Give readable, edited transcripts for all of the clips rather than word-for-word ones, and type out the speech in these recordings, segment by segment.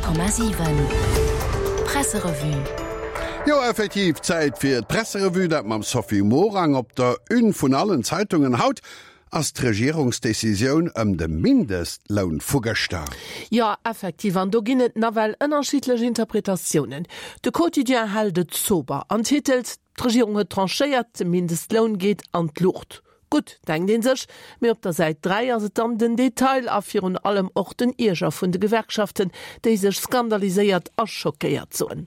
100,7 Presserevue. Jo, effektiv, Zäit fir d'Presserevue, dat mam Sophie Morang. Op der Une vun allen Zeitungen haut ass d'Regierungsdecisioun ëm de Mindestloun vu gëschter. Jo, effektiv, an do ginn et nawell ënnerschiddlech Interpretatiounen. De Quotidien hält et sober an titelt, D'Regierung huet tranchéiert, de Mindestloun geet an d'Luucht. Gutt, denkt ee sech, mee op der Säit 3 ass et dann den Detail a virun allem och den Ierger vun de Gewerkschaften, déi sech skandaliséiert a schockéiert soen.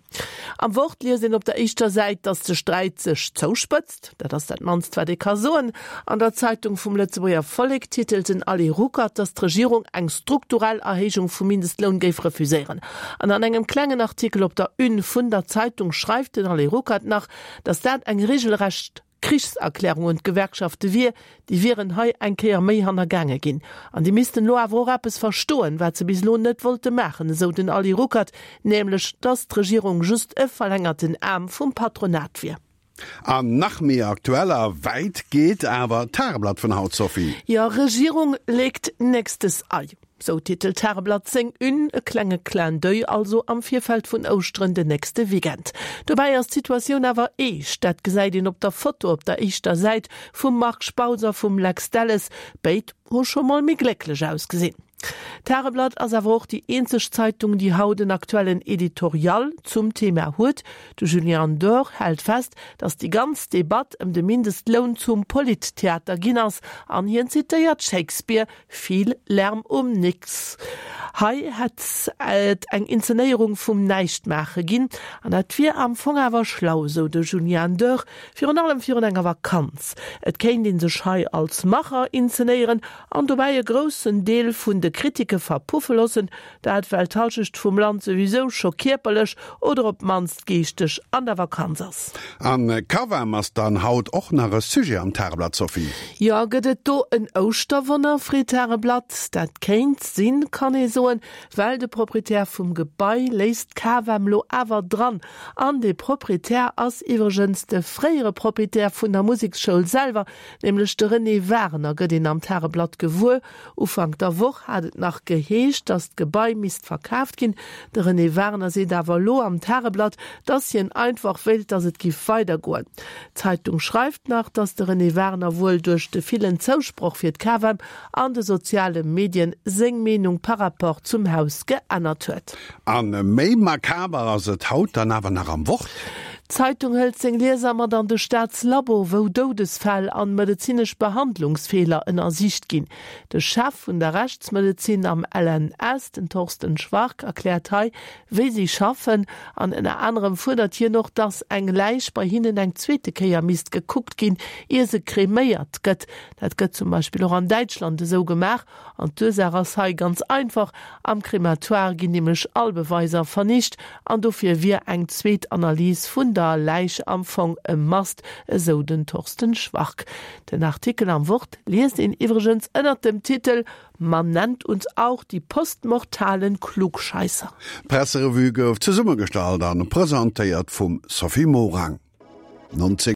Am Wort liest een op der éischter Säit, datt de Sträit sech zouspëtzt. Dat ass dat mannst, wat ee ka soen. An der Zeitung vum Lëtzebuerger Vollek titelt den Ali Ruckert, datt d'Regierung eng strukturell Erhéijung vum Mindestloun géif refuséieren. An an engem klengen Artikel op der Une vun der Zeitung schreift den Alain Ruckert nach, datt dat eng regelrecht Krichserklärung un d'Gewerkschafte wier, déi wieren hei eng Kéier méi hannergaange ginn. An déi missten elo awer och eppes verstoen, wat se bis elo net wollte maachen, esou den Ali Ruckert, nämlech datt d'Regierung just e verlängerten Aarm vum Patronat wier. An nach méi aktuell a wäit geet awer d'Tageblatt vun haut, Sophie. Jo, Regierung legt nächstes Ei, sou titelt d'Tageblatt seng Une. E klenge Clin d'oeil also am Virfeld vun Ouschteren den nächste Weekend. Dobäi ass d'Situatioun awer eescht, dat gesäit een op der Foto op der éischter Säit vum Marc Spautz a vum Lex Delles. Béid hu scho mol méi glécklech ausgesinn. D'Tageblatt ass awer och déi eenzeg Zeitung, déi haut en aktuellen Editorial zum Thema huet. De Julien Dore hält fest, datt déi ganz Debatt ëm de Mindestloun zum Polittheater ginn ass an hien zitéiert Shakespeare, Viel Lärm um nix. Hei hätt et eng Inzenéierung vum Näischtmaache ginn an dat wier am Fong awer schlau, sou de Julien Dore, virun allem virun enger Vakanz. Et kéint ee sech hei als Macher inzenéieren an dobäi e groussen Deel vun de Kritike verpuffe loossen, dat well d'Halschecht vum Land souwisou scho kierperlech oder op d'mannst geeschteg an der Vakanz ass. An Cavem ass dann haut och nach e Sujet am Tageblatt, Sophie. Jo, gëtt et do en Ouschterwonner, freet d'Tageblatt. Dat kéint sinn, kann ee soen, well de Proprietär vum Gebai léisst d'Cavem lo awer dran. An dee Proprietär ass iwwregens de fréiere Proprietär vun der Museksschoul selwer, Nämlech de René Wagener gëtt een am Tageblatt gewuer. Ufank der Woch hat et nach geheescht, datt d'Gebai misst verkaaft ginn. De René Wagener seet awer elo am Tageblatt, datt hien einfach wéilt, datt et giff weidergoen. D'Zeitung schreift nach, datt de René Wagener wuel duerch de villen Zousproch fir d'Cavem an de soziale Medien seng Meenung par rapport zum Haus geännert huet. A méi makaber ass et haut dann awer nach am Wort. D'Zeitung hëlt seng Lieser mat an de Staatslabo, wou Doudesfäll an medezinesch Behandlungsfeeler ënnersicht ginn. De Chef vun der Rechtsmedezin am LNS, den Thorsten Schwark, erkläert hei, wéi si schaffen. An ënner anerem fuerdert hien och, dass eng Läich bei hinnen eng zweete Kéier misst gekuckt ginn, ier se kreméiert gëtt. Dat gëtt zum Beispill och an Däitschland esou gemaach. An d'Ursaach ass hei ganz einfach, Am Krematoire ginn nämlech all Beweiser vernicht an dofir wier eng zweet Analys vun der Läich am Fong e Must, esou den Thorsten Schwark. Den Artikel am Wort liest een iwwregens ënnert dem Titel Man nennt uns auch die postmortalen Klugscheisser. D'Presserevue gouf zesummegestallt an presentéiert vum Sophie Morang. 19.